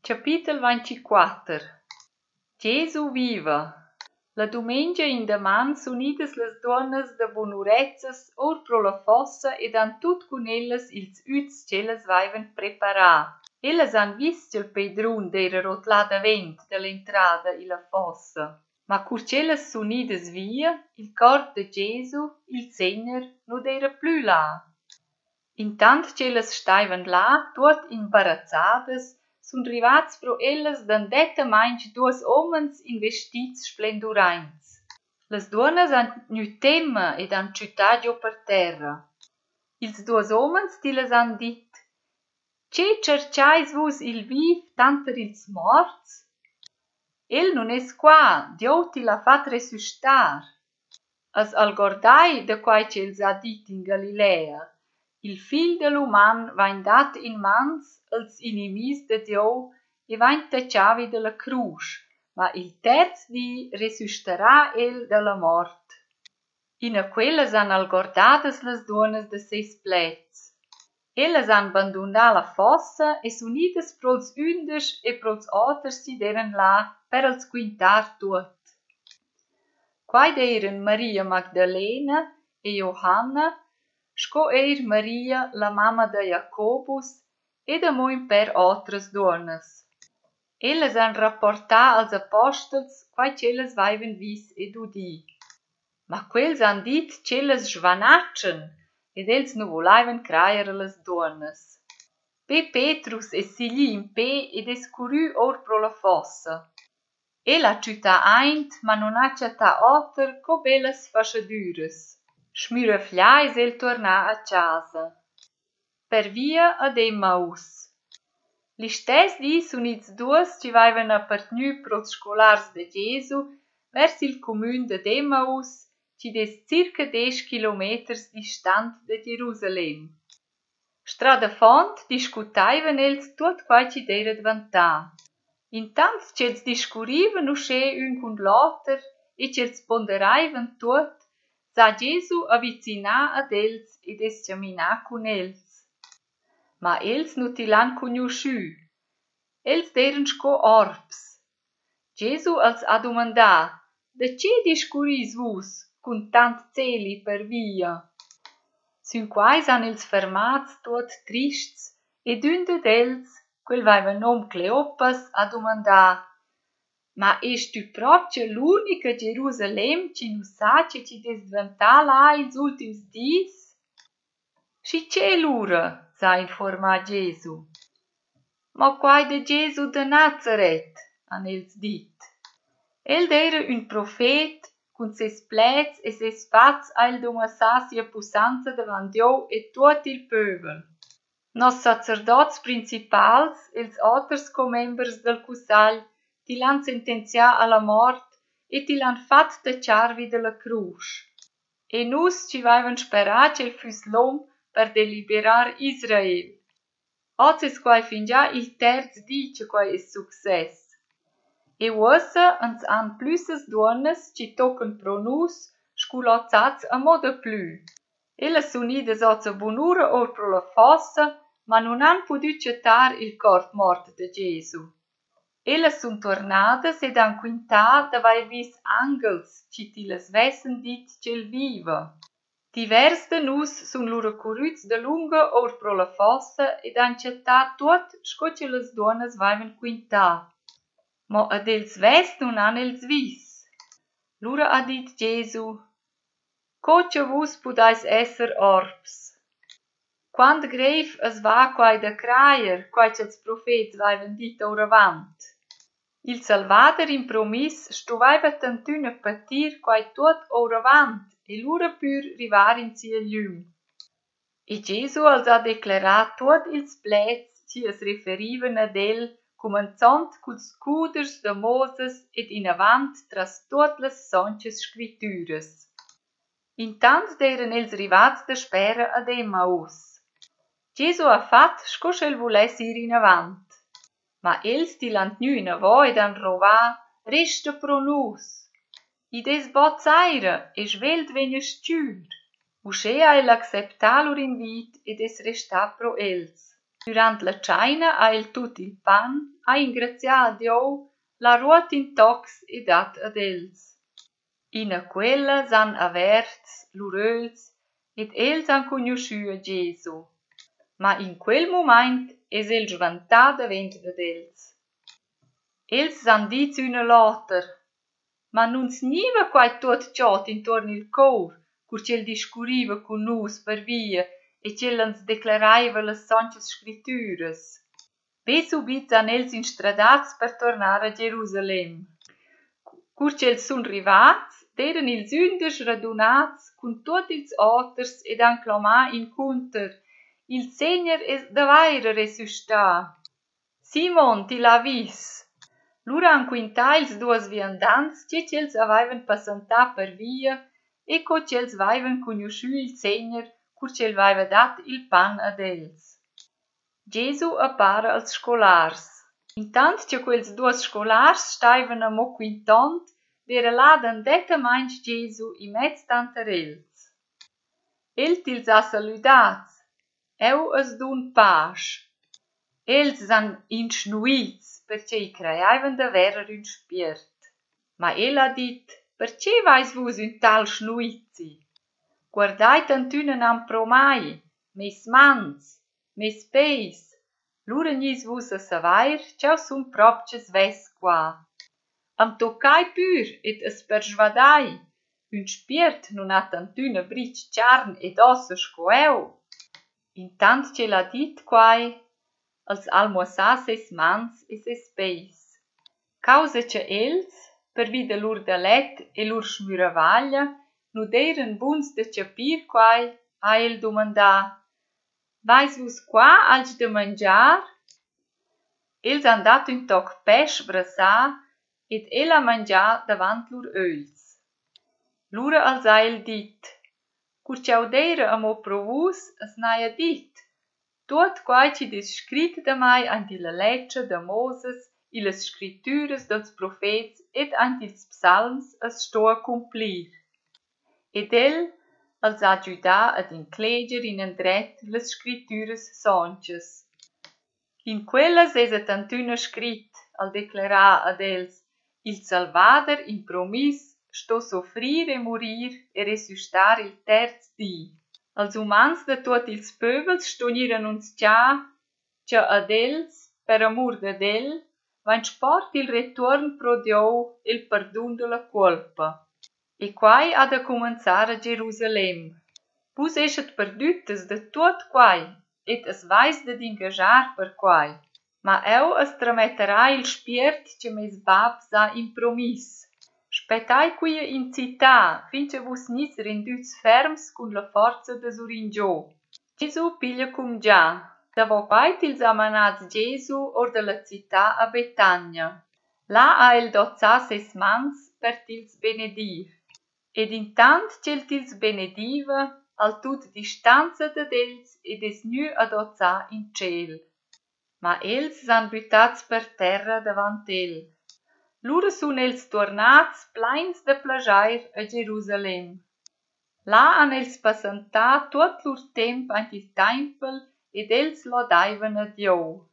Capitel 24. Gesù viva. La dumengia in daman sunidas las duonnas da bunurezzas or pro la fossa ed han tut cun ellas ils üts cellas vaivan preparà. Ellas han vis ch'el pedrun d'eira rotlà davent da l'entrada illa fossa. Ma cur cellas sunidas via, il cor de Gesù, il Segner, nu d'eira plü là. Intant cellas staivan là, tuot imbarazzadas, sun rivats pro ellas d'andetta mainch duos omens in vestits splenduraints. Las duonas han gnü temma ed han ciutà giò per terra. Ils duos omens tillas han dit: «Che cerciais vus il viv tanter ils morts? El nun es qua, Dieu ti l'ha fat resustar. As algordai da quai ch'els ha dit in Galilea. Il figl de l'uman vain dat in mans als inimis de Dieu e vain tacciavi de la crusch, ma il terz di resustarà el de la mort.» Ina quellas han algordadas las duonas de ses plets. Ellas han bandunà la fossa e sunidas prols ünders e prols oters si deren là per als quintar tuot. Quai d'eiran Maria Magdalena e Johanna, sco eir Maria, la mamma de Jacobus, ed amuin per otras duonas. Ellas han rapportà als apostels quai cellas vaivan vis ed udì. Ma quels han dit cellas svanatschen, ed els nu volaivan craier a las duonas. Petrus es sigli in pe ed es currü or pro la fossa. El ha ciutà aint, ma non ha ciatà oter co bellas faschadüras. Schmüreflia es el tornà a casa. Per via ad Emmaus. L'istes di sun ils duos ci vaivan appartnü pros scolars de Gesù vers il comün de Emmaus, ci des circa 10 kilometers distant de Gerusalem. Strada font discutaivan els tuot quai ci d'eira dvantà. Intant c'els discurrivan usche ün cun l'oter e c'els ponderaivan tuot, sa Gesù avvicinà ad els ed es caminà cun els. Ma els nu ti l'han cugnuschü. Els d'eiran sco orbs. Gesù els ha dumandà: «Da che discurris vus cun tant celi per via?» Sün quais han els fermats tuot trists ed ün d'els, quel vaiva nom Cleopas, ha dumandà: «Ma es tu propria l'unica Gerusalem ci nu sa che ci des dventà là ils ultims dis?» «Schi che lura?» s'ha informà Gesù. «Ma quai de Gesù de Nazaret», han els dit. El d'eira ün profet, cun ses plets e ses fats ha el dumassà sia pussanza davant Dieu e tuot il pövel. Nos sacerdots principals, els oters comembers del cussagl, ti l'han sentenzià alla mort e ti l'han fat tacciarvi de la crusch. E nus ci vaivan sperà ch'el füs l'om per deliberar Israel. Oz es quai fingià il terz di che quai es success. E uossa ans han plüssas duonnas ci tocan pro nus sculozzats a moda plü. Ellas sun idas oz a bunura or pro la fossa, ma non han pudü cettar il cort mort de Gesù. Ellas sun tornadas ed han quintà davai vis angels ci ti las vessen dit c'el viva. Divers de nus sun lura currüts da lunga or pro la fossa ed han cettà tuot sco ce las duonas vaivan quintà. Mo ad els vest nun han els vis. Lura ha dit Gesù: «Co che vus pudais esser orbs? Quand greiv as va quai da craier, quai ch'els profets vaivan dit oravant. Il Salvader in promis stuvaiva tantüna patir quai tuot oravant e lura pür rivar in sia gliüm.» E Gesù als ha declarà tuot ils plets ci es referivan ad el, cumanzont culs cuders de Moses ed in avant tras tuot las sonches scritüras. Intant d'eiran els rivats da spera ad Emmaus. Gesù ha fat sco sch'el vuless ir in avant. Ma els ti l'han gnü in avò ed han rovà: «Resta pro nus!» Id es bozzaira e svelt vegna stgür. Usche ha el acceptà lur invit ed es restà pro els. Durant la tscheina ha el tut il pan, ha ingrazià a Dio, la ruot in tocs e dat ad els. Ina quella s'han averts l'uröls ed els han cugnuschü a Gesu. Ma in quel mumaint es el svantà davent dad els. Els s'han dit üna l'oter, ma nun sniva quai tuot tgiot intorn il cor, cur c'el discurriva cun nus per via e c'el ans declaraiva las sonchas scrittüras. Be subit han els instradats per tornar a Gerusalem. Cur c'els sun rivats, d'eran ils ündesch radunats cun tuot ils oters ed han clamà in cunter: Il Segner es davaira resuscità. Simon, ti l'ha vis? Lur han quintà ils duos viandants che c'els avaivan passantà per via e co c'els vaivan cugnuschü il Segner cur c'el vaiva dat il pan ad els. Gesu appara als scolars. Intant che quels duos scolars staivan amo quintant, d'era là d'andetamaing Gesu in mezz tanter els. El tils ha saludats. Eu as dun pasch. Els han inschnuits, perché i creiaivan da verer ün spiert. Ma el ha dit: Perché vais vus un tal schnuizi? Guardait antünen am promai, mes mans, mes peis. Lura gnis vus a savair, ciao sun propches ves qua. Am toccai pür et as persvadai. Un spiert nun ha antüna bric charn ed ossa sco eu. Intant ce l'ha dit quai, als almossà ses mans e ses peis. Causa che els, per vida lur da let e lur schmüravaglia, nu d'eiran buns da capir quai, ha el domandà: Vais vus qua alg da mangiar? Els han dat un toc pesch brassà ed el ha mangià davant lur ögls. Lura als ha el dit: Cur ciao d'eira amo pro vus, as n'haia dit: Tuot quai ci des scrit da mai ant illa leccia da Moses i las scrittüras dels profets ed ant ils psalms as sto a cumplir. Ed el als ha giudà ad incleger in endret las scrittüras sonchas. In quellas es atantüna scrit al declarà ad els: Il Salvader in promis sto soffrir e morir e resuscitar il terz di. Als umans da tuot ils pövels ston annunzià cha ad els, per amur d'ad el, vain sport il return pro Dio e il perdun de la colpa. E quai ha da cumanzar a Gerusalem. Vus eschat perdüttes da tuot quai et as vais dad ingajar per quai. Ma eu as trametterà il spiert che mes babs ha in promis. Spettai quia in città, finché vus nis rendüts ferms cun la forza da Suringiò. Gesu piglia cum già. Davo quai tils amanats Gesu or de la città a Betania. Là ha el dozzà ses mans per tils benedir. Ed intant c'el tils benediva, al tut distanza dad els ed es gnü adozzà in ciel. Ma els s'han bütats per terra davant el. Lura sun els tornats plains de plaschair a Gerusalem. Là han els passantà tuot lur temp ant il tempel ed els lodaivan a Dio.